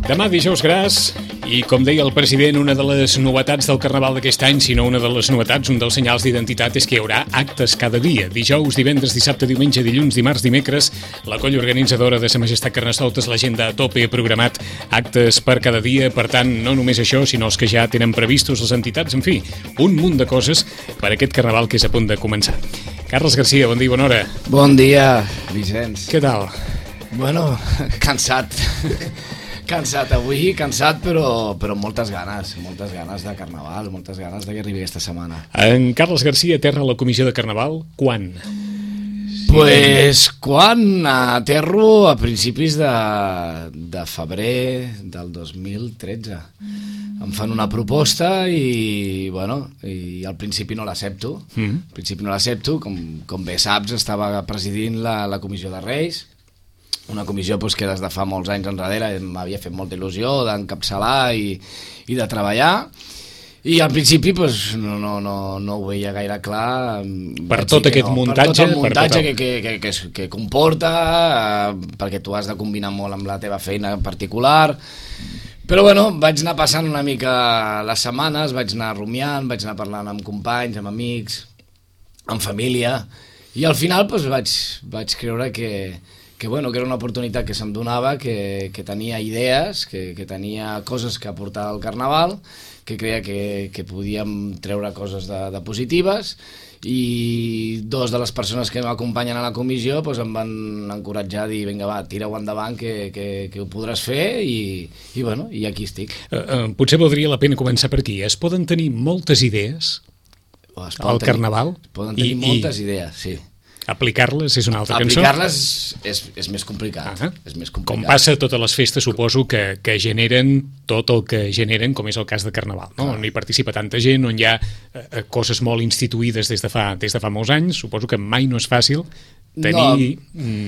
Demà dijous gras i, com deia el president, una de les novetats del Carnaval d'aquest any, si no una de les novetats, un dels senyals d'identitat és que hi haurà actes cada dia. Dijous, divendres, dissabte, diumenge, dilluns, dimarts, dimecres, la colla organitzadora de Sa Majestat Carnestoltes, l'agenda a tope, ha programat actes per cada dia. Per tant, no només això, sinó els que ja tenen previstos les entitats. En fi, un munt de coses per aquest Carnaval que és a punt de començar. Carles Garcia, bon dia i bona hora. Bon dia, Vicenç. Què tal? Bueno, cansat. Cansat avui, però amb moltes ganes de Carnaval, moltes ganes que arribi aquesta setmana. En Carles Garcia aterra a la comissió de Carnaval, quan? Pues quan aterro a principis de febrer del 2013. Em fan una proposta i, bueno, i al principi no l'accepto. Al principi no l'accepto, com bé saps, estava presidint la comissió de Reis, una comissió que des de fa molts anys enrere m'havia fet molta il·lusió d'encapçalar i de treballar, i al principi no ho veia gaire clar per tot aquest muntatge, per tot el muntatge que comporta, perquè tu has de combinar molt amb la teva feina en particular. Però bueno, vaig anar passant una mica les setmanes, vaig anar rumiant, vaig anar parlant amb companys, amb amics, amb família, i al final vaig creure que era una oportunitat que se'm donava, que tenia idees, que tenia coses que aportar al Carnaval, que creia que podíem treure coses de positives, i dos de les persones que m'acompanyen a la comissió em van encoratjar a dir, vinga va, tira-ho endavant, que ho podràs fer, i bueno, i aquí estic. Potser valdria la pena començar per aquí. Es poden tenir moltes idees al Carnaval? Es poden tenir moltes idees, sí. Aplicar-les és una altra cançó? Aplicar-les és més complicat. És més complicat. Com passa a totes les festes, suposo que generen tot el que generen, com és el cas de Carnaval, no? On hi participa tanta gent, on hi ha coses molt instituïdes des de fa molts anys. Suposo que mai no és fàcil tenir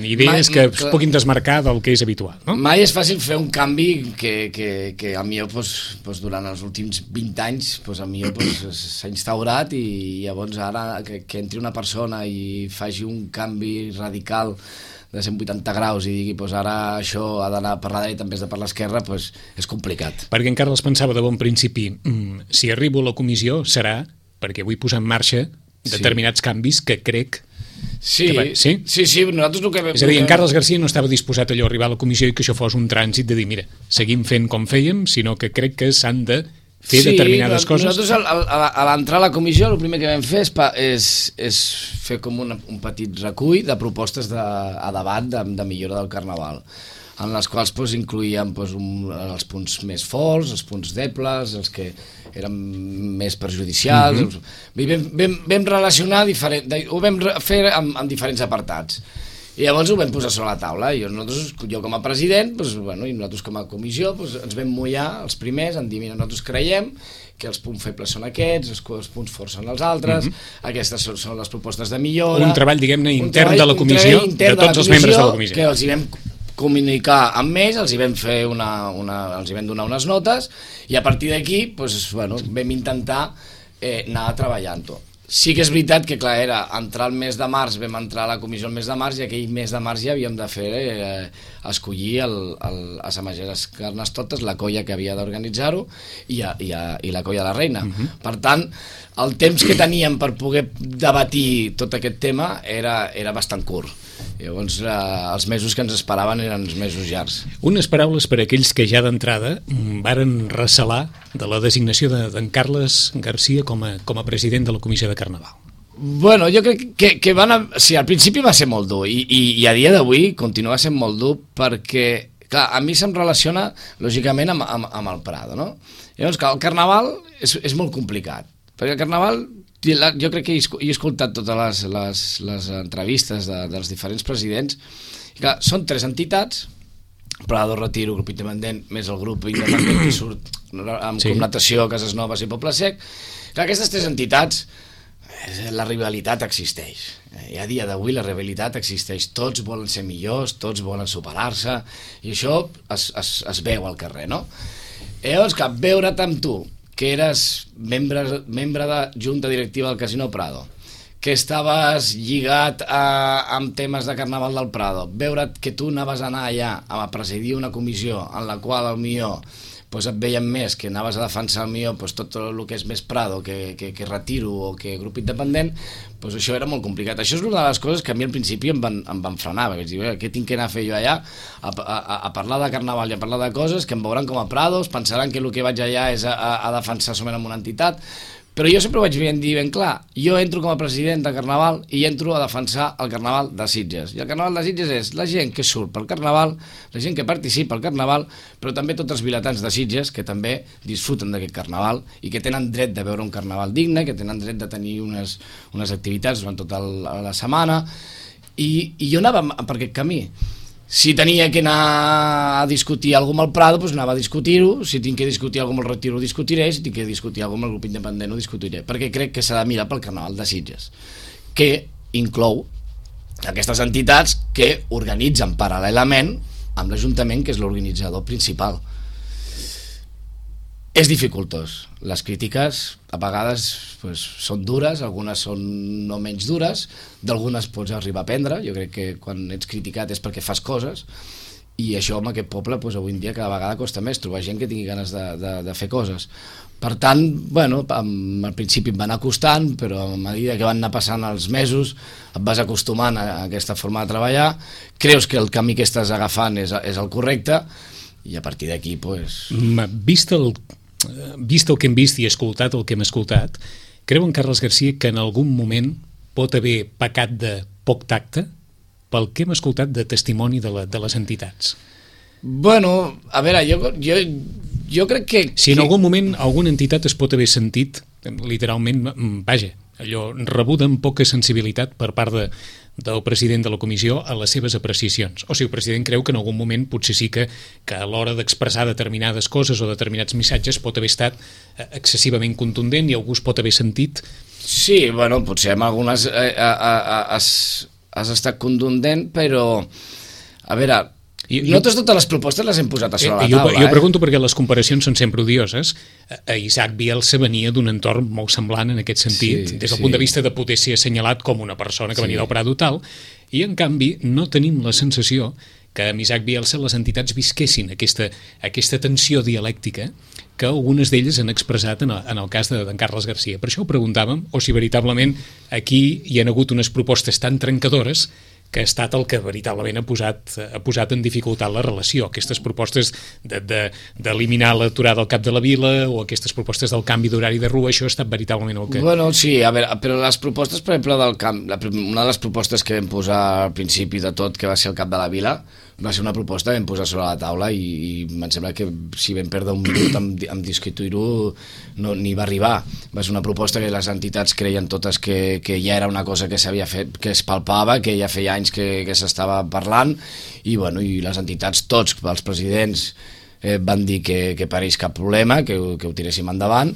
idees que es puguin desmarcar del que és habitual, no? Mai és fàcil fer un canvi que a mi durant els últims 20 anys a mi s'ha instaurat, i llavors ara que entri una persona i faci un canvi radical de 180 graus i digui ara això ha d'anar per la dreta en vez de per l'esquerra, és complicat. Perquè en Carles pensava de bon principi, si arribo a la comissió serà perquè vull posar en marxa determinats canvis que crec. Sí, nosaltres el que... És a dir, en Carles Garcia no estava disposat allò a arribar a la comissió i que això fos un trànsit de dir, mira, seguim fent com fèiem, sinó que crec que s'han de fer determinades coses. Nosaltres a l'entrar a la comissió el primer que vam fer és fer com un petit recull de propostes a debat de millora del Carnaval, en les quals incloïem els punts més forts, els punts debles, els que eren més perjudicials. Vam relacionar, ho vam fer en diferents apartats, i llavors ho vam posar sobre la taula. Jo com a president i nosaltres com a comissió ens vam mullar els primers en dir, mira, nosaltres creiem que els punts febles són aquests, els punts forts són els altres, aquestes són les propostes de millora. Un treball, diguem-ne, intern de la comissió, de tots els membres de la comissió, que els hi vam comunicar amb ells, els hi vam fer els hi vam donar unes notes, i a partir d'aquí vam intentar anar treballant-ho. Sí que és veritat que, clar, era entrar al mes de març, vam entrar a la comissió el mes de març, i aquell mes de març ja havíem de fer escollir a Sa Majestat Carnestoltes, la colla que havia d'organitzar-ho, i la colla de la reina. Per tant, el temps que teníem per poder debatir tot aquest tema era bastant curt. Llavors, els mesos que ens esperaven eren els mesos llargs. Unes paraules per a aquells que ja d'entrada varen recelar de la designació d'en Carles Garcia com a president de la Comissió de Carnaval. Bueno, jo crec que al principi va ser molt dur, i a dia d'avui continua sent molt dur, perquè, clar, a mi se'm relaciona, lògicament, amb el Prado, no? Llavors, clar, el Carnaval és molt complicat, perquè el Carnaval... Jo crec que he escoltat totes les entrevistes dels diferents presidents, i clar, són 3 entitats, Prado, Retiro, grup independent, més el grup independent que surt amb connotació a Cases Noves i Poble Sec. Clar, aquestes 3 entitats, la rivalitat existeix, i a dia d'avui la rivalitat existeix, tots volen ser millors, tots volen superar-se, i això es veu al carrer, no? Llavors, clar, veure't amb tu, que eres membre de junta directiva del Casino Prado, que estaves lligat amb temes de Carnaval del Prado, veure que tu anaves a anar allà a presidir una comissió en la qual potser et veiem més, que anaves a defensar tot el que és més Prado, que Retiro o que grup independent, això era molt complicat. Això és una de les coses que a mi al principi em van frenar, perquè vaig dir, què tinc que anar a fer jo allà a parlar de Carnaval i a parlar de coses que em veuran com a Prados, pensaran que el que vaig allà és a defensar solament una entitat. Però jo sempre vaig dir ben clar, jo entro com a president de Carnaval i entro a defensar el Carnaval de Sitges. I el Carnaval de Sitges és la gent que surt pel Carnaval, la gent que participa al Carnaval, però també tots els vilatans de Sitges que també disfruten d'aquest Carnaval i que tenen dret de veure un Carnaval digne, que tenen dret de tenir unes activitats durant tota la setmana. I jo anava per aquest camí. Si tenia que anar a discutir alguna cosa amb el Prado, doncs anava a discutir-ho. Si tinc que discutir alguna cosa amb el Retiro, ho discutiré. Si tinc que discutir alguna cosa amb el grup independent, ho discutiré. Perquè crec que s'ha de mirar pel Carnaval de Sitges, que inclou aquestes entitats que organitzen paral·lelament amb l'Ajuntament, que és l'organitzador principal. És dificultós. Les crítiques a vegades són dures, algunes són no menys dures, d'algunes pots arribar a aprendre. Jo crec que quan ets criticat és perquè fas coses, i això en aquest poble avui en dia cada vegada costa més trobar gent que tingui ganes de fer coses. Per tant, al principi em va anar costant, però a mesura que van anar passant els mesos et vas acostumant a aquesta forma de treballar, creus que el camí que estàs agafant és el correcte, i a partir d'aquí vist el que hem vist i escoltat el que hem escoltat, creu en Carles Garcia que en algun moment pot haver pecat de poc tacte pel que hem escoltat de testimoni de les entitats? Bueno, a veure, jo crec que... Si en algun moment alguna entitat es pot haver sentit literalment, vaja, allò rebuda amb poca sensibilitat per part del president de la comissió a les seves apreciacions. O sigui, el president creu que en algun moment potser sí que a l'hora d'expressar determinades coses o determinats missatges pot haver estat excessivament contundent i algú es pot haver sentit... Sí, bueno, potser en algunes has estat contundent, però a veure... Nosaltres totes les propostes les hem posat a sobre la taula. Jo pregunto perquè les comparacions són sempre odioses. Isaac Bielsa venia d'un entorn molt semblant en aquest sentit, des del punt de vista de poder ser assenyalat com una persona que venia del Prado tal, i en canvi no tenim la sensació que amb Isaac Bielsa les entitats visquessin aquesta tensió dialèctica que algunes d'elles han expressat en el cas d'en Carles Garcia. Per això ho preguntàvem, o si veritablement aquí hi ha hagut unes propostes tan trencadores que ha estat el que veritablement ha posat en dificultat la relació. Aquestes propostes d'eliminar l'aturada al cap de la vila o aquestes propostes del canvi d'horari de rua, això ha estat veritablement el que... Bueno, sí, a veure, però les propostes, per exemple, una de les propostes que vam posar al principi de tot, que va ser el cap de la vila, va ser una proposta que vam posar sobre la taula i em sembla que si vam perdre un minut en discutir-ho ni va arribar. Va ser una proposta que les entitats creien totes que ja era una cosa que s'havia fet, que es palpava, que ja feia anys que s'estava parlant, i les entitats, tots els presidents van dir que pareix cap problema, que ho tiréssim endavant,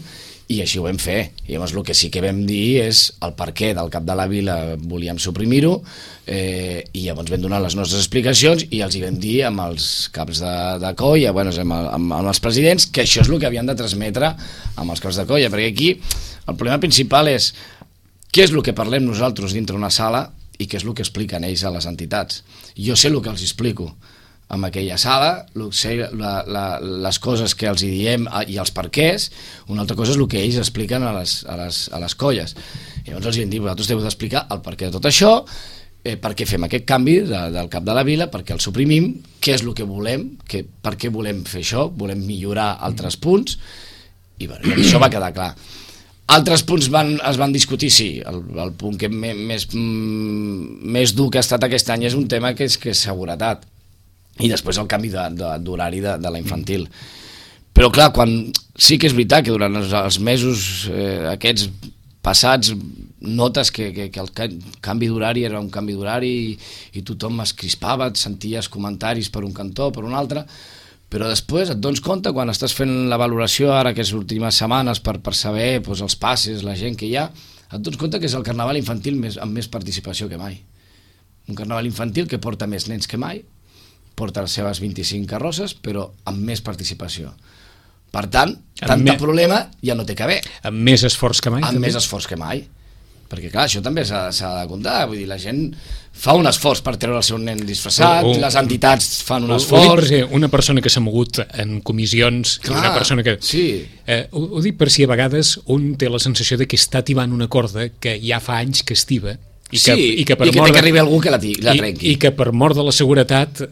i així ho vam fer. I llavors el que sí que vam dir és el perquè del cap de la vila volíem suprimir-ho, i llavors vam donar les nostres explicacions i els hi vam dir amb els caps de colla, amb els presidents, que això és el que havien de transmetre amb els caps de colla, perquè aquí el problema principal és què és el que parlem nosaltres dintre una sala i què és el que expliquen ells a les entitats. Jo sé el que els explico en aquella sala, les coses que els hi diem i els perquès, una altra cosa és el que ells expliquen a les colles. Llavors els hi hem dit, vosaltres heu d'explicar el perquè de tot això, per què fem aquest canvi del cap de la vila, per què el suprimim, què és el que volem, per què volem fer això, volem millorar altres punts, i això va quedar clar. Altres punts es van discutir, sí. El punt que més dur que ha estat aquest any és un tema que és seguretat, i després el canvi d'horari de la infantil. Però clar, sí que és veritat que durant els mesos aquests passats notes que el canvi d'horari era un canvi d'horari i tothom es crispava, et senties comentaris per un cantó, per un altre, però després et dones compte, quan estàs fent la valoració ara aquestes últimes setmanes per saber els passes, la gent que hi ha, et dones compte que és el carnaval infantil amb més participació que mai. Un carnaval infantil que porta més nens que mai, porta les seves 25 carrosses, però amb més participació. Per tant, problema ja no té que haver. Amb més esforç que mai? Amb més esforç que mai. perquè clar, això també s'ha de comptar, vull dir, la gent fa un esforç per treure el seu nen disfressat, les entitats fan un esforç... Una persona que s'ha mogut en comissions, clar, una persona que... Sí. Ho dic per si a vegades un té la sensació de que està tibant una corda que ja fa anys que estiva i que té que arribi algú que la trenqui. I que per mort de la seguretat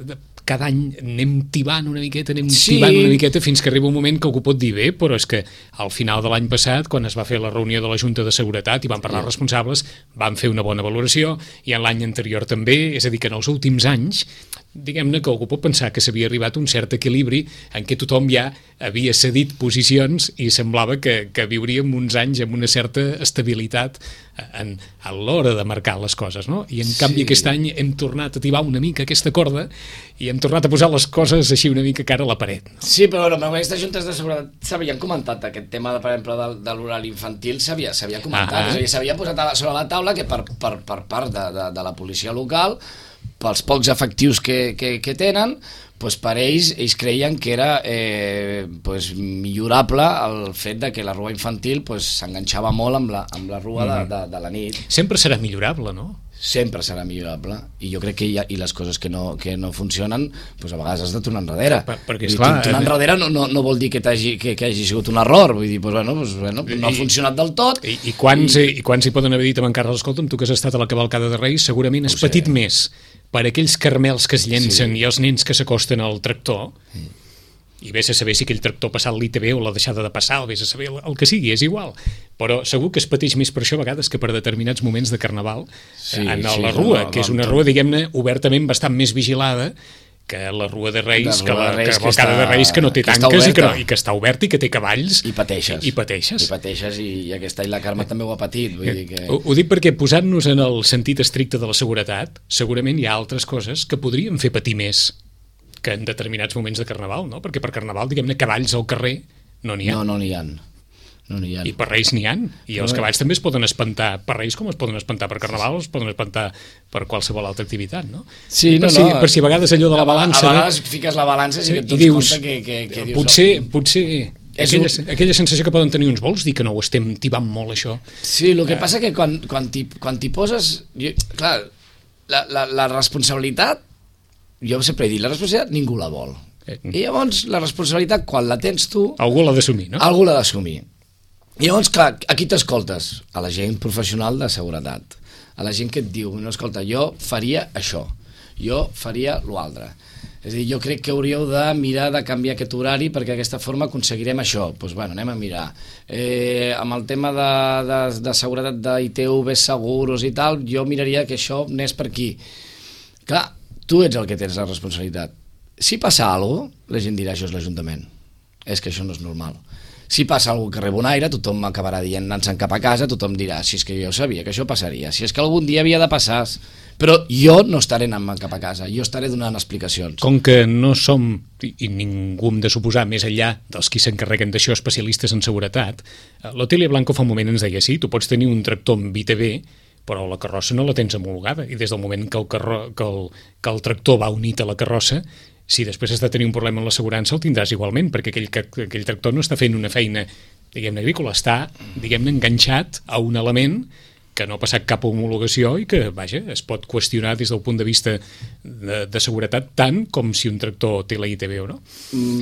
cada any anem tibant una miqueta, fins que arriba un moment que algú pot dir bé, però és que al final de l'any passat, quan es va fer la reunió de la Junta de Seguretat i van parlar els responsables, van fer una bona valoració, i en l'any anterior també, és a dir, que en els últims anys, diguem-ne que algú pot pensar que s'havia arribat a un cert equilibri en què tothom ja havia cedit posicions i semblava que viuríem uns anys amb una certa estabilitat a l'hora de marcar les coses, no? I en canvi aquest any hem tornat a tibar una mica aquesta corda i hem tornat a posar les coses així una mica cara a la paret. Sí, però bueno, amb aquestes juntes de seguretat s'havien comentat aquest tema, per exemple, de l'horari infantil, s'havia comentat, és a dir, s'havia posat sobre la taula que per part de la policia local, pels pocs efectius que tenen, doncs per ells creien que era millorable el fet de que la rua infantil s'enganxava molt amb la rua de la nit. Sempre serà millorable, no? Sempre serà millorable, i jo crec que i les coses que no funcionen, doncs a vegades has de tornar enrere. Perquè, esclar, tornar enrere no vol dir que hagi sigut un error, vull dir, no ha funcionat del tot. I quants hi poden haver dit amb en Carles, escolta'm, tu que has estat a la cavalcada de Reis, segurament has patit més per aquells carmels que es llencen i els nens que s'acosten al tractor, i vés a saber si aquell tractor ha passat l'ITV o l'ha deixada de passar, o vés a saber el que sigui, és igual, però segur que es pateix més per això a vegades que per determinats moments de carnaval la rua, que és una rua, diguem-ne, obertament bastant més vigilada que la rua de Reis, que la cavalcada de Reis, que no té tanques i que està oberta i que té cavalls. I pateixes. I aquest any la Carme també ho ha patit. Vull dir que... Ho dic perquè posant-nos en el sentit estricte de la seguretat, segurament hi ha altres coses que podrien fer patir més que en determinats moments de carnaval, no? Perquè per carnaval, diguem-ne, cavalls al carrer no n'hi ha. No n'hi ha. I per Reis n'hi ha. I els cavalls també es poden espantar per Reis com es poden espantar per carnaval, es poden espantar per qualsevol altra activitat, no? Sí, per si a vegades allò de la balança... A vegades fiques la balança i et dones compte que dius... Potser aquella sensació que poden tenir uns vols dir que no ho estem tibant molt, això. Sí, el que passa que quan t'hi poses... Clar, la responsabilitat, jo sempre he dit, la responsabilitat ningú la vol. I llavors la responsabilitat, quan la tens tu... Algú l'ha d'assumir, no? Algú l'ha d'assumir. I llavors, clar, a qui t'escoltes? A la gent professional de seguretat, a la gent que et diu, no, escolta, jo faria això, jo faria l'altre. És a dir, jo crec que hauríeu de mirar de canviar aquest horari perquè d'aquesta forma aconseguirem això. Doncs bueno, anem a mirar. Amb el tema de seguretat d'ITV, seguros i tal, jo miraria que això anés per aquí. Clar, tu ets el que tens la responsabilitat. Si passa alguna cosa, la gent dirà això és l'Ajuntament. És que això no és normal. Si passa algú que rep un aire, tothom acabarà dient anant-se'n cap a casa, tothom dirà, si és que jo sabia que això passaria, si és que algun dia havia de passar, però jo no estaré anant cap a casa, jo estaré donant explicacions. Com que no som, i ningú hem de suposar, més enllà dels qui s'encarreguen d'això, especialistes en seguretat, l'Otília Blanco fa un moment ens deia, sí, tu pots tenir un tractor amb ITV, però la carrossa no la tens homologada, i des del moment que el tractor va unit a la carrossa, si després has de tenir un problema amb l'assegurança el tindràs igualment, perquè aquell tractor no està fent una feina, diguem-ne, agrícola, està, diguem-ne, enganxat a un element que no ha passat cap homologació i que, vaja, es pot qüestionar des del punt de vista de seguretat tant com si un tractor té la ITV o no.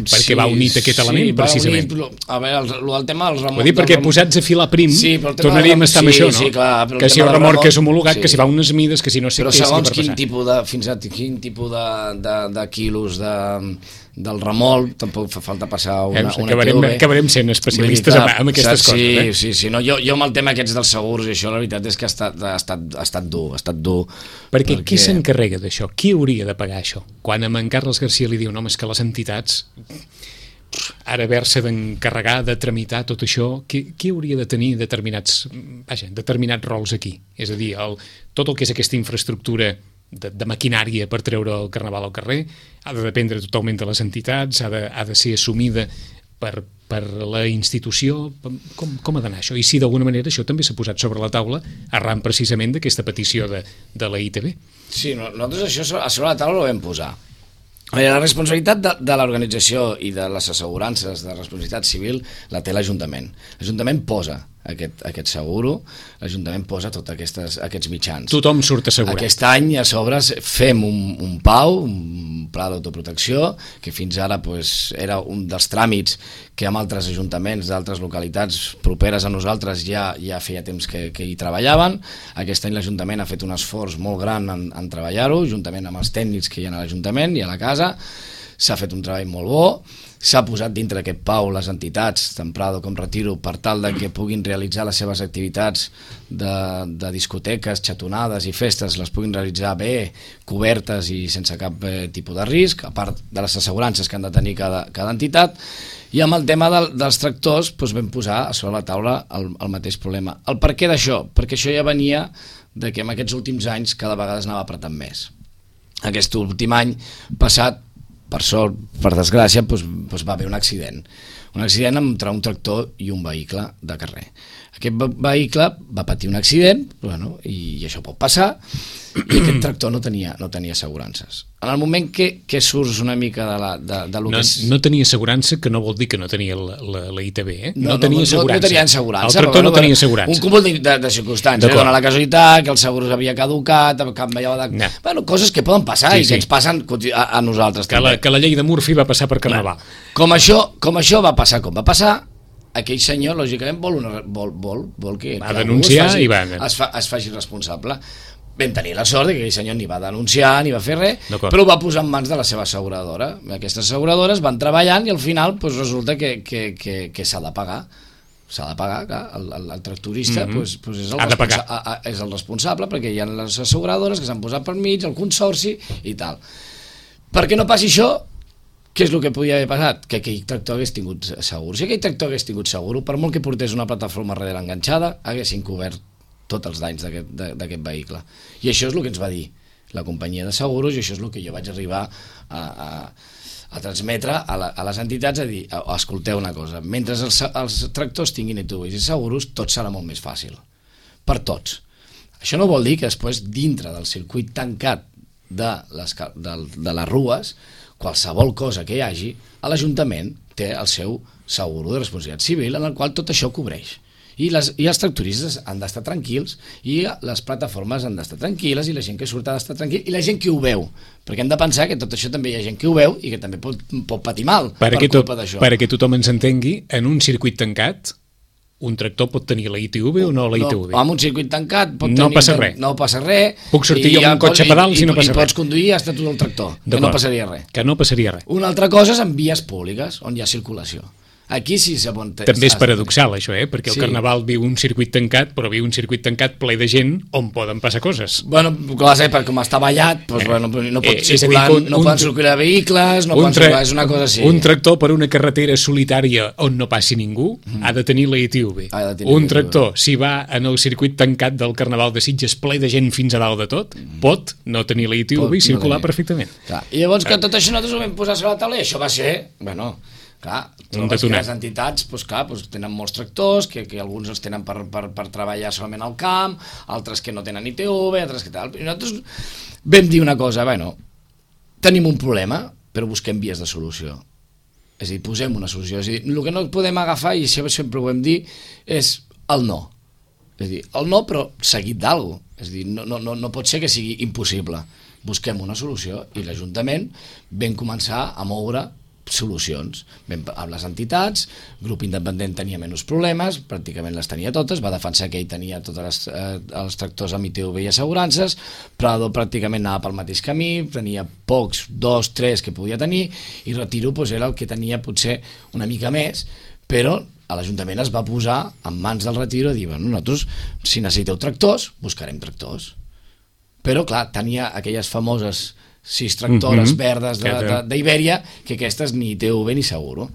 Perquè va unit aquest element, precisament. A veure, el tema dels remolcs... Vull dir, perquè posats a filar prim, tornaríem a estar amb això, no? Sí, clar, que si el remolc és homologat, que si va unes mides, que si no sé què és que per passar. Però segons quin tipus de quilos del remolc, tampoc fa falta passar una ITV. Acabarem sent especialistes en aquestes coses. Sí. No, jo amb el tema aquests dels segurs i això, la veritat és que ha estat dur. Perquè qui s'encarrega d'això? Qui hauria de pagar això? Quan a en Carles Garcia li diu, no, és que les entitats ara haver-se d'encarregar, de tramitar tot això, qui hauria de tenir determinats rols aquí? És a dir, tot el que és aquesta infraestructura de maquinària per treure el carnaval al carrer ha de dependre totalment de les entitats, ha de ser assumida per la institució. Com ha d'anar això? I si d'alguna manera això també s'ha posat sobre la taula arran precisament d'aquesta petició de la ITV. Sí, nosaltres això a sobre la taula ho vam posar. La responsabilitat de l'organització i de les assegurances de responsabilitat civil la té l'Ajuntament. L'Ajuntament posa aquest seguro, l'Ajuntament posa tots aquests mitjans. Tothom surt assegurat. Aquest any a sobre fem un PAU, un pla d'autoprotecció, que fins ara era un dels tràmits que amb altres ajuntaments d'altres localitats properes a nosaltres ja feia temps que hi treballaven. Aquest any l'Ajuntament ha fet un esforç molt gran en treballar-ho, juntament amb els tècnics que hi ha a l'Ajuntament i a la casa. S'ha fet un treball molt bo, s'ha posat dintre d'aquest PAU les entitats, tant Prado com Retiro, per tal de que puguin realitzar les seves activitats de discoteques, xatonades i festes, les puguin realitzar bé, cobertes i sense cap tipus de risc, a part de les assegurances que han de tenir cada entitat. I amb el tema dels tractors vam posar a sobre la taula el mateix problema. El per què d'això? Perquè això ja venia de que en aquests últims anys cada vegada es anava apretant més. Aquest últim any passat, per sort, per desgràcia, va haver un accident entre un tractor i un vehicle de carrer. Aquest vehicle va patir un accident, i això pot passar, i aquest tractor no tenia assegurances. En el moment que surts una mica de lo que és... No tenia assegurança, que no vol dir que no tenia la ITB, eh? No tenia assegurança. El tractor no tenia assegurança. Un cúmul de circumstàncies, dona la casualitat, que el seguro s'havia caducat, canviava de... Coses que poden passar i que ens passen a nosaltres també. Que la llei de Murphy va passar per Carnaval. Com això va passar com va passar, aquell senyor, lògicament, vol que denunciar i es faci responsable. Vam tenir la sort que aquell senyor ni va denunciar ni va fer res, però ho va posar en mans de la seva asseguradora. Aquestes asseguradores van treballant i al final resulta que s'ha de pagar. S'ha de pagar, clar, el tractorista és el responsable, perquè hi ha les asseguradores que s'han posat per mig, el consorci i tal. Perquè no passi això, què és el que podia haver passat? Que aquell tractor hagués tingut seguro. Si aquell tractor hagués tingut seguro, per molt que portés una plataforma darrere enganxada, haguessin cobert tots els danys d'aquest vehicle. I això és el que ens va dir la companyia de seguros, i això és el que jo vaig arribar a transmetre a les entitats, a dir, escolteu una cosa, mentre els tractors tinguin ITVs i seguros, tot serà molt més fàcil. Per tots. Això no vol dir que després, dintre del circuit tancat de les rues, qualsevol cosa que hi hagi, l'Ajuntament té el seu seguro de responsabilitat civil en el qual tot això cobreix. I els tractoristes han d'estar tranquils, i les plataformes han d'estar tranquil·les, i la gent que surt ha d'estar tranquil, i la gent que ho veu, perquè hem de pensar que tot això també hi ha gent que ho veu i que també pot patir mal per culpa d'això. Perquè tothom ens entengui, en un circuit tancat, un tractor pot tenir la ITV o no la ITV? En un circuit tancat no passa res. No passa res. Puc sortir jo amb un cotxe a pedals i no passa res. I pots conduir hasta tot el tractor, que no passaria res. Que no passaria res. Una altra cosa és en vies públiques, on hi ha circulació. Aquí sí també és paradoxal això, perquè el Carnaval viu un circuit tancat, però viu un circuit tancat ple de gent on poden passar coses. Bueno, clar, perquè com està ballat, no poden circular vehicles, no poden circular, és una cosa així. Un tractor per una carretera solitària on no passi ningú ha de tenir la ITV. Un tractor, si va en el circuit tancat del Carnaval de Sitges ple de gent fins a dalt de tot, pot no tenir la ITV i circular perfectament. I llavors que tot això nosaltres ho vam posar sobre la taula, i això va ser, clar, les entitats tenen molts tractors, que alguns els tenen per treballar solament al camp, altres que no tenen ITV, altres que tal. I nosaltres vam dir una cosa, tenim un problema, però busquem vies de solució. És a dir, posem una solució. És a dir, el que no podem agafar, i això sempre ho vam dir, és el no. És a dir, el no, però seguit d'alguna cosa. És a dir, no pot ser que sigui impossible. Busquem una solució, i l'Ajuntament vam començar a moure solucions. Amb les entitats, Grup Independent tenia menys problemes, pràcticament les tenia totes, va defensar que ell tenia tots els tractors amb ITV i assegurances, Prado pràcticament anava pel mateix camí, tenia pocs, 2, 3 que podia tenir, i Retiro era el que tenia potser una mica més, però a l'Ajuntament es va posar en mans del Retiro a dir, nosaltres, si necessiteu tractors, buscarem tractors. Però, clar, tenia aquelles famoses 6 tractores verdes d'Ibèria, que aquestes ni ITV ni seguro.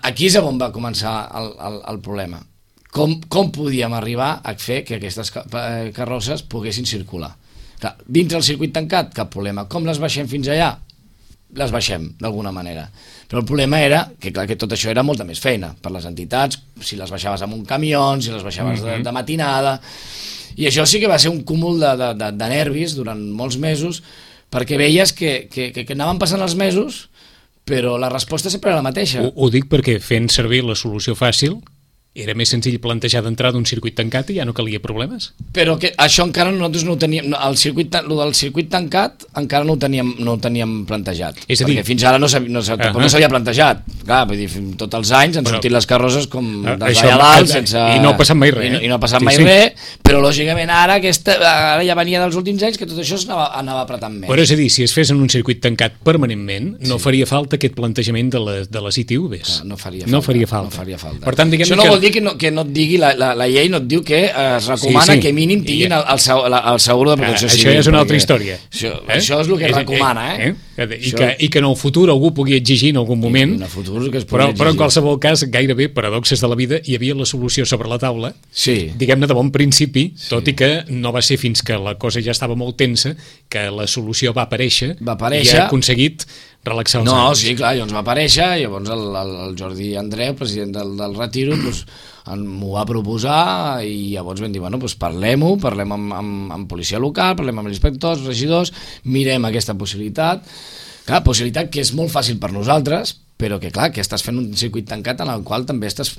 Aquí és on va començar el problema. Com podíem arribar a fer que aquestes carrosses poguessin circular? Dins del circuit tancat, cap problema. Com les baixem fins allà? Les baixem, d'alguna manera. Però el problema era que, clar, que tot això era molta més feina per les entitats, si les baixaves amb un camió, si les baixaves de matinada. I això sí que va ser un cúmul de nervis durant molts mesos, perquè veies que anaven passant els mesos, però la resposta sempre era la mateixa. Ho dic perquè fent servir la solució fàcil era més senzill plantejar d'entrada d'un circuit tancat i ja no calia problemes. Però que això encara nosaltres no ho teníem, el del circuit tancat encara no ho teníem plantejat. És a dir, perquè fins ara no s'havia plantejat. Clar, vull dir, tots els anys han sortit les carrosses com d'allà dalt, sense... I no ha passat mai res. I no ha passat mai res, però lògicament ara ja venia dels últims anys que tot això anava apretant més. Però és a dir, si es fes en un circuit tancat permanentment, no faria falta aquest plantejament de les ITVs. No faria falta. Per tant, diguem-ne que... No vol dir que no et digui, la llei no et diu que es recomana que mínim tinguin el seguro de protecció civil. Això ja és una altra història. Això és el que es recomana, I que en el futur algú pugui exigir en algun moment, però en qualsevol cas, gairebé paradoxes de la vida, hi havia la solució sobre la taula, diguem-ne de bon principi, tot i que no va ser fins que la cosa ja estava molt tensa que la solució va aparèixer i ha aconseguit relaxar els anys. Sí, clar, llavors va aparèixer, llavors el Jordi Andreu, president del Retiro, m'ho va proposar i llavors vam dir, parlem amb policia local, parlem amb els inspectors, regidors, mirem aquesta possibilitat, possibilitat que és molt fàcil per nosaltres, però que clar, que estàs fent un circuit tancat en el qual també estàs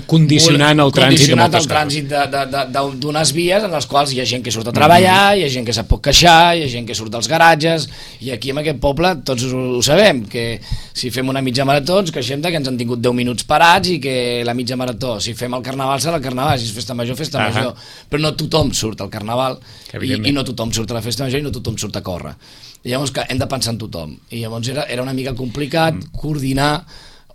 condicionant el trànsit de moltes trànsit d'unes vies en les quals hi ha gent que surt a treballar, hi ha gent que se'n pot queixar, hi ha gent que surt dels garatges, i aquí en aquest poble tots ho sabem, que si fem una mitja marató ens queixem que ens han tingut 10 minuts parats i que la mitja marató, si fem el carnaval serà el carnaval, si és festa major, però no tothom surt al carnaval i no tothom surt a la festa major i no tothom surt a córrer. I llavors hem de pensar en tothom, i llavors era una mica complicat coordinar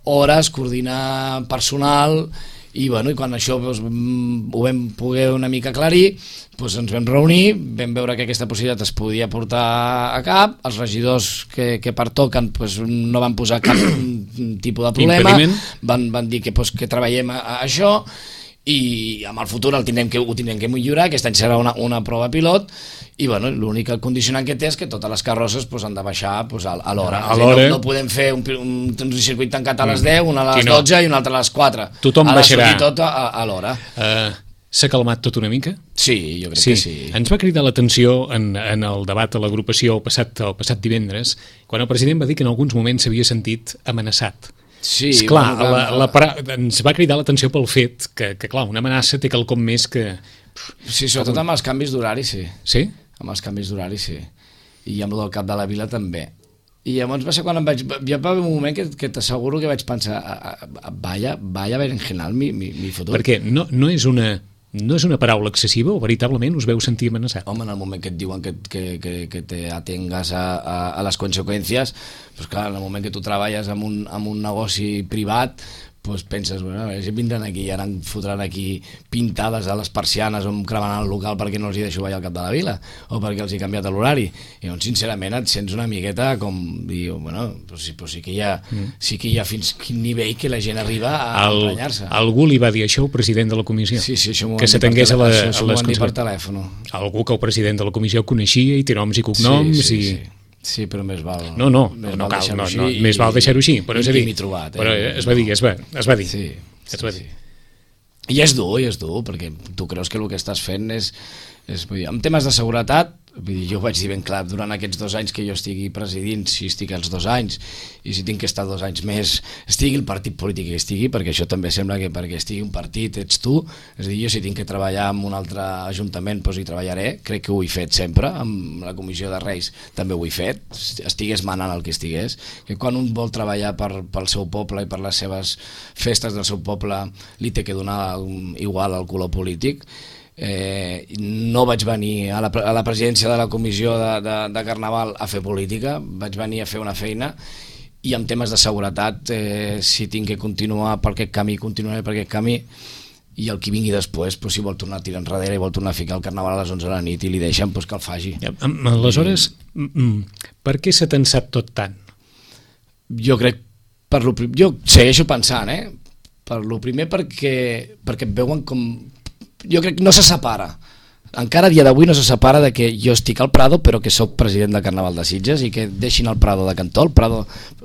hores, coordinar personal, i quan això ho vam poder una mica aclarir, ens vam reunir, vam veure que aquesta possibilitat es podia portar a cap, els regidors que pertoquen no van posar cap tipus de problema, van dir que treballem a això, i amb el futur ho tindrem que millorar. Aquest any serà una prova pilot i l'únic condicionant que té és que totes les carrosses han de baixar a l'hora. No podem fer un circuit tancat a les 10, un a les 12 i un altre a les 4. Tothom baixarà. Ha de sortir tot a l'hora. S'ha calmat tot una mica? Sí, jo crec que sí. Ens va cridar l'atenció en el debat a l'agrupació el passat divendres, quan el president va dir que en alguns moments s'havia sentit amenaçat. Sí, esclar, ens va cridar l'atenció pel fet que clar, una amenaça té quelcom més que... Sí, sobretot amb els canvis d'horari, sí. Sí? Amb els canvis d'horari, sí. I amb el del cap de la vila també. I llavors va ser quan ja va haver un moment que t'asseguro que vaig pensar vaya berenjenal mi futur. Perquè no és una paraula excessiva o veritablement us veu sentir amenaçat? Home, en el moment que et diuen que te atengas a les conseqüències, clar, en el moment que tu treballes en un negoci privat, penses, vindran aquí i ara em fotran aquí pintades a les persianes o em cremaran el local perquè no els hi deixo ballar al cap de la vila o perquè els he canviat l'horari. I llavors, sincerament, et sents una miqueta com dir, sí que hi ha fins quin nivell que la gent arriba a emprenyar-se. Algú li va dir això al president de la comissió? Sí, això m'ho van dir per telèfon. Algú que el president de la comissió coneixia i té noms i cognoms i... Sí, però més val... No cal, més val deixar-ho així, però és a dir... Però es va dir. Sí. I és dur, perquè tu creus que el que estàs fent és en temes de seguretat, jo ho vaig dir ben clar, durant aquests 2 anys que jo estigui presidint, si estic els 2 anys, i si tinc que estar 2 anys més, estigui el partit polític que estigui, perquè això també sembla que perquè estigui un partit ets tu, és a dir, jo si tinc que treballar en un altre ajuntament, hi treballaré, crec que ho he fet sempre, amb la comissió de Reis també ho he fet, estigués manant el que estigués, que quan un vol treballar pel seu poble i per les seves festes del seu poble, li té que donar igual al color polític. No vaig venir a la presidència de la comissió de Carnaval a fer política, vaig venir a fer una feina i en temes de seguretat, si tinc que continuar per aquest camí, continuaré per aquest camí, i el que vingui després, si vol tornar a tirar enrere i vol tornar a ficar el Carnaval a les 11 de la nit i li deixen, que el faci. Aleshores, per què s'ha tensat tot tant? Jo crec, jo segueixo pensant, per lo primer perquè veuen com... Jo crec que no se separa encara a dia d'avui no se separa de que jo estic al Prado però que sóc president del Carnaval de Sitges i que deixin el Prado de cantó.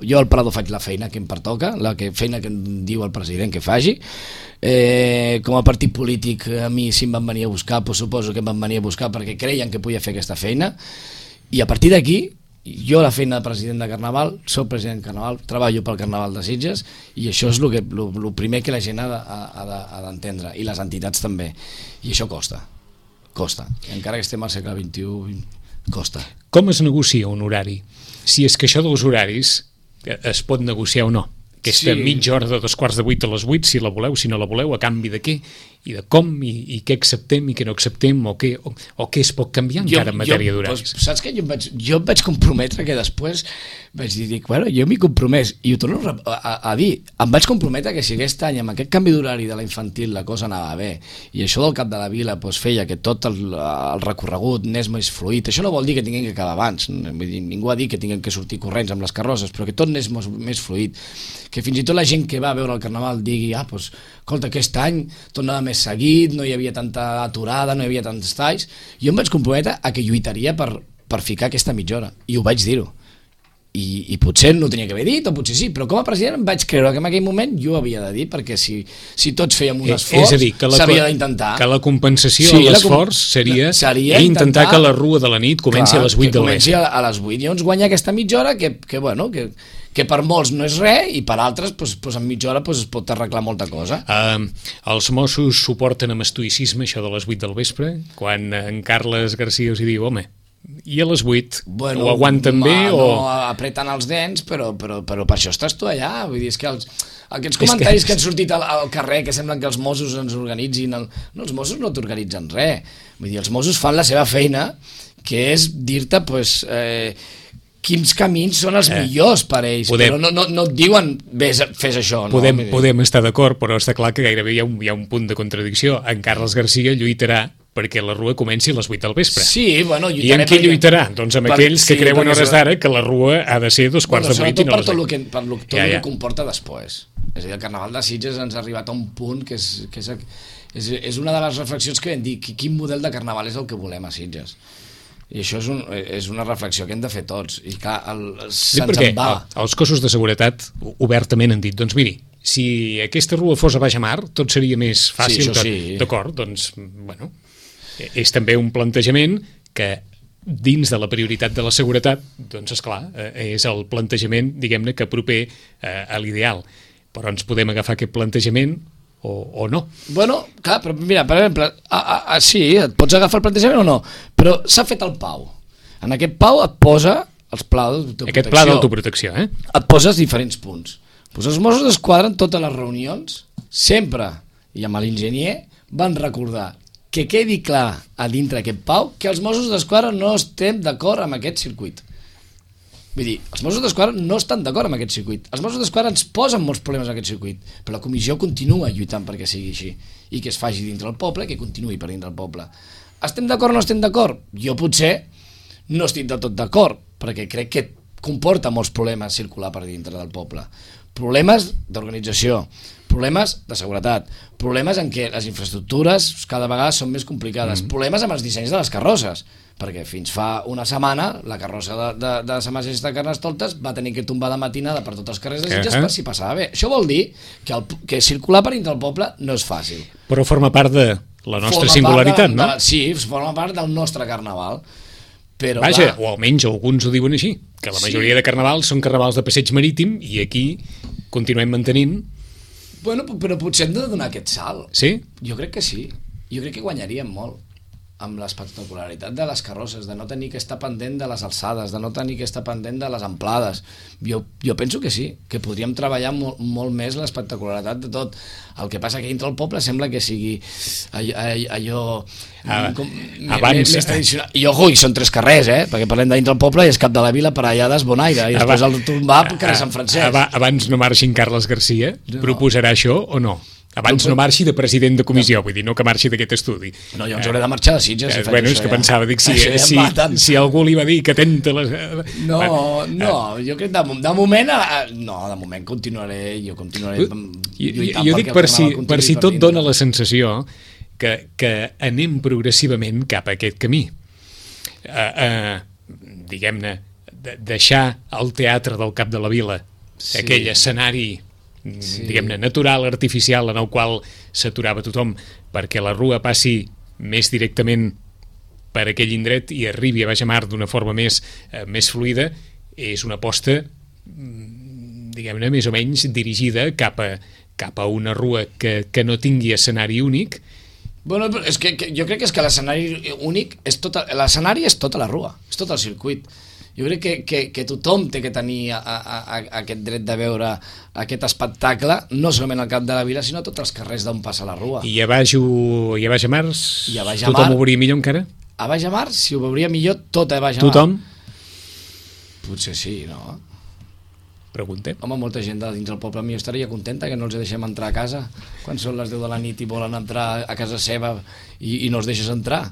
Jo al Prado faig la feina que em pertoca, feina que em diu el president que faci. Com a partit polític a mi si em van venir a buscar, doncs suposo que em van venir a buscar perquè creien que podia fer aquesta feina, i a partir d'aquí jo la feina de president de Carnaval, soc president de Carnaval, treballo pel Carnaval de Sitges i això és el primer que la gent ha d'entendre, i les entitats també, i això costa, encara que estem al segle XXI costa. Com es negocia un horari? Si és que això dels horaris es pot negociar o no? Aquesta mitja hora de 7:45 a les 8, si la voleu, si no la voleu, a canvi de què i de com, i què acceptem i què no acceptem, o què es pot canviar encara en matèria d'horaris. Saps que jo em vaig comprometre que després vaig dir, bueno, jo m'hi compromès, i ho torno a dir, em vaig comprometre que si aquest any amb aquest canvi d'horari de la infantil la cosa anava bé, i això del Cap de la Vila feia que tot el recorregut anés més fluid, això no vol dir que tinguin que acabar abans, ningú ha dit que tinguin que sortir corrents amb les carrosses, però que tot anés més fluid, que fins i tot la gent que va veure el Carnaval digui, doncs, escolta, aquest any tot anava més seguit, no hi havia tanta aturada, no hi havia tants talls. Jo em vaig comprometre a que lluitaria per ficar aquesta mitja hora, i ho vaig dir-ho. I potser no ho tenia que haver dit, o potser sí, però com a president em vaig creure que en aquell moment jo ho havia de dir, perquè si tots fèiem un esforç, s'havia d'intentar. Que la compensació a l'esforç seria intentar que la rua de la nit comenci a les 8 del vespre. Comenci a les 8, i llavors guanya aquesta mitja hora que per molts no és res, i per altres en mitja hora es pot arreglar molta cosa. Els Mossos suporten amb estoïcisme això de les 8 del vespre, quan en Carles Garcia us hi diu, home, i a les 8 ho aguanten bé? No, apreten els dents, però per això estàs tu allà. Vull dir, és que aquests comentaris que han sortit al carrer, que semblen que els Mossos ens organitzin, no, els Mossos no t'organitzen res. Vull dir, els Mossos fan la seva feina, que és dir-te, quins camins són els millors per a ells, però no et diuen fes això. Podem estar d'acord, però està clar que gairebé hi ha un punt de contradicció. En Carles Garcia lluitarà perquè la rua comenci a les 8 del vespre. Sí, bueno, i amb què lluitarà? Doncs amb aquells que creuen hores d'ara que la rua ha de ser 2:45 i no les 8. Per tot el que comporta després. És a dir, el Carnaval de Sitges ens ha arribat a un punt que és una de les reflexions que vam dir, quin model de Carnaval és el que volem a Sitges. I això és una reflexió que hem de fer tots, i clar, se'ns en va. Els cossos de seguretat obertament han dit, doncs miri, si aquesta rua fos a Baixamar tot seria més fàcil. D'acord, doncs, bueno, és també un plantejament que dins de la prioritat de la seguretat, doncs esclar, és el plantejament, diguem-ne, que proper a l'ideal, però ens podem agafar aquest plantejament o no. Bueno, clar, però mira, per exemple, sí, et pots agafar el plantejament o no, però s'ha fet el PAU. En aquest PAU et posa els plans d'autoprotecció. Aquest pla d'autoprotecció, Et poses diferents punts. Doncs els Mossos d'Esquadra en totes les reunions, sempre, i amb l'enginyer, van recordar que quedi clar a dintre aquest PAU que els Mossos d'Esquadra no estem d'acord amb aquest circuit. Vull dir, els Mossos d'Esquadra no estan d'acord amb aquest circuit. Els Mossos d'Esquadra ens posen molts problemes en aquest circuit, però la comissió continua lluitant perquè sigui així, i que es faci dintre el poble, que continuï per dintre el poble. Estem d'acord o no estem d'acord? Jo potser no estic del tot d'acord, perquè crec que comporta molts problemes circular per dintre del poble. Problemes d'organització, problemes de seguretat, problemes en què les infraestructures cada vegada són més complicades, problemes amb els dissenys de les carrosses, perquè fins fa una setmana la carrossa de Sa Majestat Carnestoltes va tenir que tombar de matinada per tots els carrers de Sitges per si passava bé. Això vol dir que circular per dintre del poble no és fàcil. Però forma part de la nostra singularitat, no? Sí, forma part del nostre carnaval. Però, vaja, o almenys alguns ho diuen així, que la majoria de carnavals són carnavals de passeig marítim i aquí continuem mantenint. Bueno, però potser hem de donar aquest salt. Sí? Jo crec que sí. Jo crec que guanyaríem molt amb l'espectacularitat de les carrosses, de no tenir que estar pendent de les alçades, de no tenir que estar pendent de les amplades. Jo penso que sí, que podríem treballar molt més l'espectacularitat de tot. El que passa que dintre el poble sembla que sigui allò més tradicional. I ojo, i són 3 carrers, perquè parlem de dintre el poble i és Cap de la Vila, Parellades, Bonaire, i després el tombar carrer Sant Francesc. Abans no marxi Carles Garcia, proposarà això o no? Abans no marxi de president de comissió, vull dir, no que marxi d'aquest estudi. No, jo ens hauré de marxar de Sitges. Bueno, és que pensava, dic, si algú li va dir que atenta les... No, jo crec que de moment, de moment continuaré lluitant. Jo dic per si tot dona la sensació que anem progressivament cap a aquest camí. Diguem-ne, deixar el teatre del Cap de la Vila, aquell escenari diguem-ne natural, artificial, en el qual s'aturava tothom perquè la rua passi més directament per aquell indret i arribi a Baix a Mar d'una forma més fluida, és una aposta diguem-ne més o menys dirigida cap a una rua que no tingui escenari únic. Bueno, és que jo crec que l'escenari únic l'escenari és tota la rua, és tot el circuit. Jo crec que tothom té que tenir aquest dret de veure aquest espectacle, no solament al Cap de la Vila, sinó a tots els carrers d'on passa la rua. I a Baix a Mar tothom ho veuria millor encara? A Baix a Mar, si ho veuria millor, tot a Baix a Mar. Tothom? Potser sí, no? Preguntem. Home, molta gent de dins del poble millor estaria contenta que no els deixem entrar a casa quan són les 10 de la nit i volen entrar a casa seva i no els deixes entrar.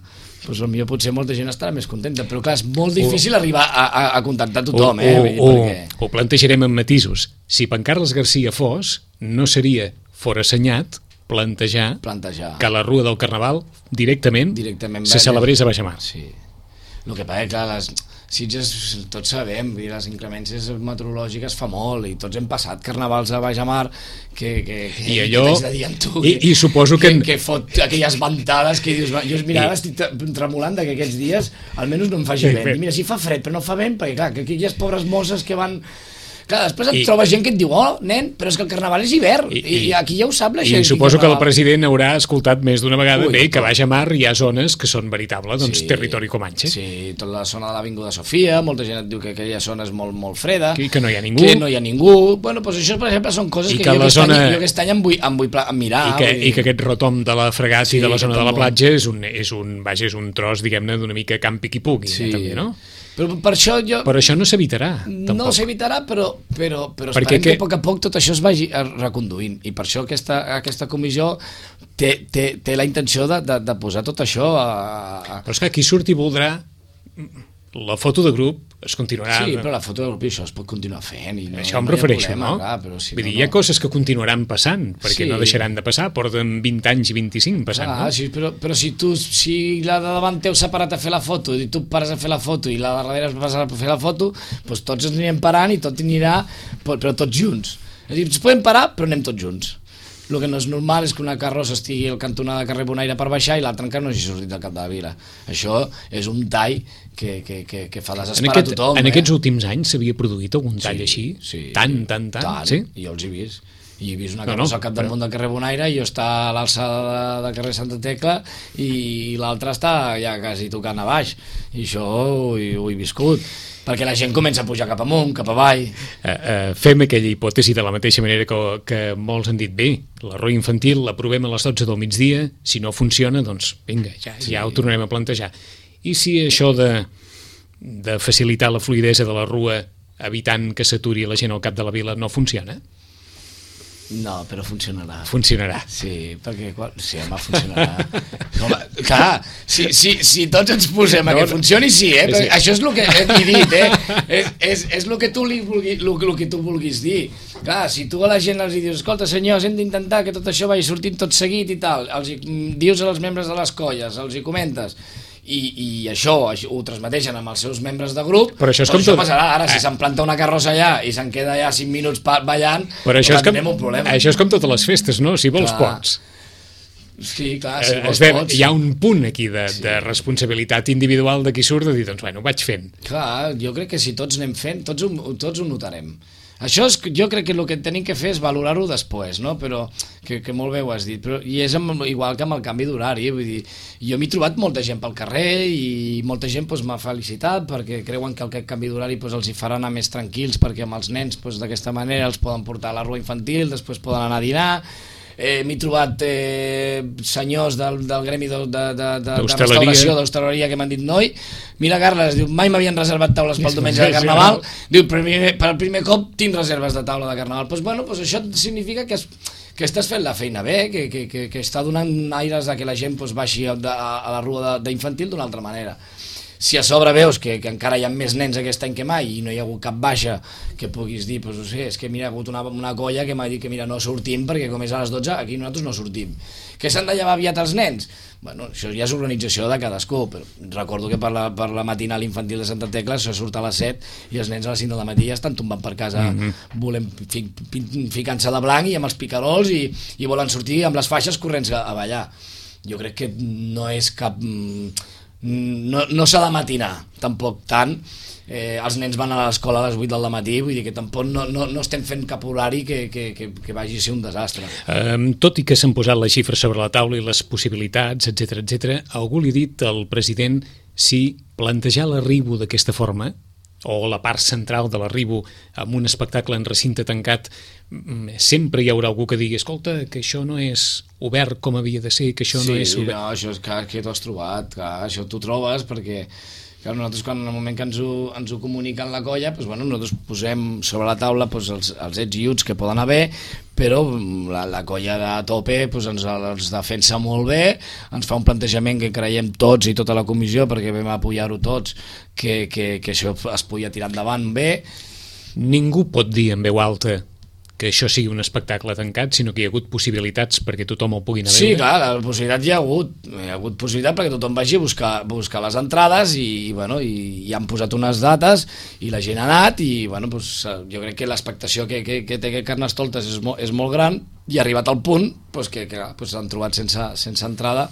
Doncs potser potser molta gent estarà més contenta, però clar, és molt difícil arribar a contactar tothom. Ho plantejarem amb matisos. Si en Carles Garcia fos, no seria forassenyat plantejar que la Rua del Carnaval directament se celebrés a Baix a Mar. Sí. El que passa, clar, les Sitges, tots sabem, les inclemències meteorològiques fa molt, i tots hem passat carnavals a Baix a Mar i allò, i suposo que fot aquelles ventades que dius, jo mirava, estic tremolant que aquests dies almenys no em faci vent, i mira, si fa fred però no fa vent, perquè clar, que aquelles pobres mosses que van... Clar, després et troba gent que et diu, oh, nen, però és que el carnaval és hivern, i aquí ja ho sap la gent. I suposo que el president haurà escoltat més d'una vegada que a Baix a Mar hi ha zones que són veritables, territori comanxe. Sí, tota la zona de l'Avinguda Sofia, molta gent et diu que aquella zona és molt, molt freda. Que no hi ha ningú. Bueno, doncs això, per exemple, són coses que jo aquest any em vull mirar. I que aquest rotom de la Fregat i de la zona de la platja és un tros, diguem-ne, d'una mica camp piqui-puqui, també, no? Però això no s'evitarà, tampoc. No s'evitarà, però esperem que a poc a poc tot això es vagi reconduint, i per això aquesta comissió té la intenció de posar tot això Però és que qui surti voldrà la foto de grup es continuarà... Sí, però la foto de grup i això es pot continuar fent. Això em refereixo, no? Vull dir, hi ha coses que continuaran passant, perquè no deixaran de passar, porten 20 anys i 25 passant, no? Sí, però si la de davant teu s'ha parat a fer la foto i tu pares a fer la foto i la de darrere es passa a fer la foto, doncs tots ens anirem parant i tot anirà, però tots junts. És a dir, ens podem parar, però anem tots junts. El que no és normal és que una carrossa estigui al cantonada de carrer Bonaire per baixar i l'altra encara no hagi sortit del Cap de la Vila. Això és un tall que fa desesperar a tothom. En aquests últims anys s'havia produït algun tall així? Tant? Sí? I jo els he vist. I he vist una carrossa al capdamunt del carrer Bonaire i jo està a l'alçada de carrer Santa Tecla i l'altra està ja quasi tocant a baix. I això ho he viscut. Perquè la gent comença a pujar cap amunt, cap avall. Fem aquella hipòtesi de la mateixa manera que molts han dit, bé, la rua infantil l'aprovem a les 12 del migdia, si no funciona, doncs vinga, ja ho tornarem a plantejar. I si això de facilitar la fluidesa de la rua evitant que s'aturi la gent al Cap de la Vila no funciona? No, però funcionarà. Funcionarà. Sí, perquè... Sí, home, funcionarà. Home, clar, si tots ens posem a que funcioni, sí, sí. Això és el que he dit, és el que tu vulguis dir. Clar, si tu a la gent els dius, escolta, senyors, hem d'intentar que tot això vagi sortint tot seguit i tal, els dius als membres de les colles, els hi comentes, i això ho transmeteixen amb els seus membres de grup, però això passarà. Ara, si se'n planta una carrossa allà i se'n queda allà 5 minuts ballant, tindrem un problema. Això és com totes les festes, no? Si vols, pots. Sí, clar, si vols, pots. Hi ha un punt aquí de responsabilitat individual de qui surt de dir, doncs, bueno, ho vaig fent. Clar, jo crec que si tots anem fent, tots ho notarem. Això jo crec que el que tenim que fer és valorar-ho després, no? Però que molt bé ho has dit, i és igual que amb el canvi d'horari, vull dir, jo m'he trobat molta gent pel carrer i molta gent m'ha felicitat perquè creuen que aquest canvi d'horari els hi farà anar més tranquils, perquè amb els nens d'aquesta manera els poden portar a la rua infantil, després poden anar a dinar. M'he trobat senyors del gremi de restauració, d'hostaleria, que m'han dit, noi, mira, Carles, diu, mai m'havien reservat taules pel diumenge de Carnaval, diu, per el primer cop tinc reserves de taula de Carnaval. Doncs bueno, això significa que estàs fent la feina bé, que està donant aires que la gent baixi a la rua d'infantil d'una altra manera. si a sobre veus que encara hi ha més nens aquest any que mai i no hi ha hagut cap baixa que puguis dir, doncs no sé, és que mira, hi ha hagut una colla que m'ha dit que mira, no sortim perquè com és a les 12 aquí nosaltres no sortim. Que s'han de llevar aviat els nens? Bueno, això ja és organització de cadascú, però recordo que per la matinal infantil de Santa Tecla això surt a les 7 i els nens a les 5 de la matí ja estan tombant per casa ficant-se de blanc i amb els picarols i volen sortir amb les faixes corrents a ballar. Jo crec que no és cap... No s'ha de matinar, tampoc tant. Els nens van a l'escola a les 8 del matí, vull dir que tampoc no estem fent cap horari que vagi a ser un desastre. Tot i que s'han posat les xifres sobre la taula i les possibilitats, etc, algú li ha dit al president si plantejar l'arribo d'aquesta forma, o la part central de l'arribo amb un espectacle en recinte tancat, sempre hi haurà algú que digui escolta, que això no és obert com havia de ser, que això no és obert. Sí, no, això és clar que t'ho has trobat, clar, això t'ho trobes perquè clar, nosaltres quan en el moment que ens ho comuniquen la colla, doncs, bueno, nosaltres posem sobre la taula doncs, els ets i uts que poden haver, però la colla de tope doncs, ens defensa molt bé, ens fa un plantejament que creiem tots i tota la comissió, perquè vam apoyar-ho tots, que això es podia tirar endavant bé. Ningú pot dir en veu alta que això sigui un espectacle tancat, sinó que hi ha hagut possibilitats perquè tothom el pugui anar a veure. Sí, clar, la possibilitat hi ha hagut possibilitat perquè tothom vagi a buscar les entrades i han posat unes dates i la gent ha anat i bueno, doncs, jo crec que l'expectació que té aquest Carnestoltes és molt gran i ha arribat al punt doncs, que s'han trobat sense entrada,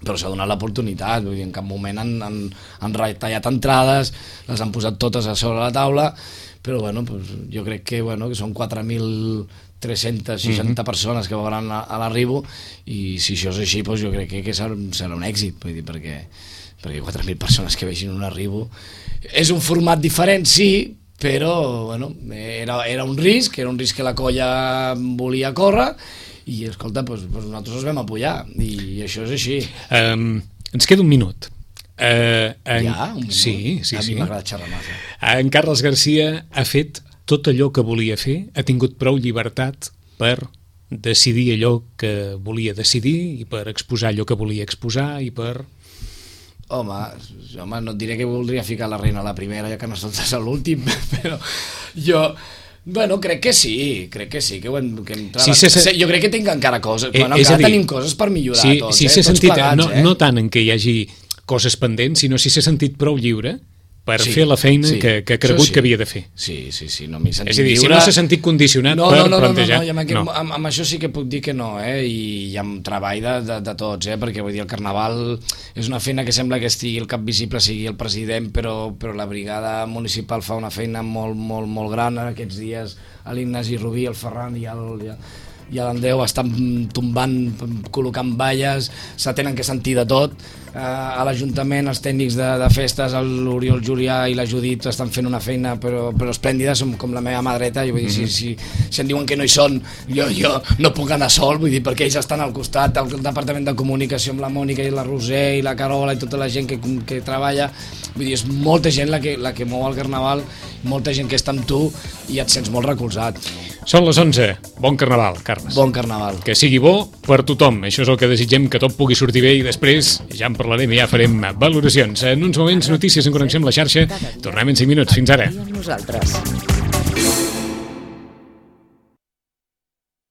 però s'ha donat l'oportunitat, vull dir, en cap moment han retallat entrades, les han posat totes a sobre la taula, però bueno, pues, jo crec que són 4.360 persones que veuran a l'arribo i si això és així doncs jo crec que serà un èxit, vull dir, perquè 4.000 persones que vegin un arribo és un format diferent, sí, però bueno, era un risc que la colla volia córrer i escolta, doncs nosaltres els vam apoyar i això és així. Ens queda un minut. Ja? Un minut? Sí. A mi m'agrada xerrar massa. En Carles Garcia ha fet tot allò que volia fer, ha tingut prou llibertat per decidir allò que volia decidir i per exposar allò que volia exposar i per... Home, no et diré que voldria ficar la reina a la primera ja que no soltes a l'últim, però jo... Bueno, crec que sí, que ho hem jo crec que tinc encara coses, encara tenim coses per millorar tots, tots plegats. No tant en què hi hagi coses pendents, sinó si s'ha sentit prou lliure per fer la feina que ha cregut que havia de fer. Sí, no m'he sentit lliure. És a dir, si no s'ha sentit condicionat per plantejar... No, amb això sí que puc dir que no, i amb treball de tots, perquè vull dir, el Carnaval és una feina que sembla que estigui el cap visible, sigui el president, però la brigada municipal fa una feina molt, molt, molt gran aquests dies, l'Ignasi Rubí, el Ferran i l'Andeu estan tombant, col·locant valles, se tenen que sentir de tot. A l'Ajuntament, els tècnics de festes, l'Oriol Julià i la Judit estan fent una feina però esplèndida, som com la meva mà dreta, i vull dir, si em diuen que no hi són, jo no puc anar sol, vull dir, perquè ells estan al costat, el Departament de Comunicació amb la Mònica i la Roser i la Carola i tota la gent que treballa, vull dir, és molta gent la que mou el Carnaval, molta gent que està amb tu i et sents molt recolzat. Són les 11. Bon Carnaval, Carles. Bon Carnaval. Que sigui bo per tothom. Això és el que desitgem, que tot pugui sortir bé i després ja en parlarem i ja farem valoracions. En uns moments, notícies en connexió amb la xarxa. Tornem en 5 minuts. Fins ara. Nosaltres.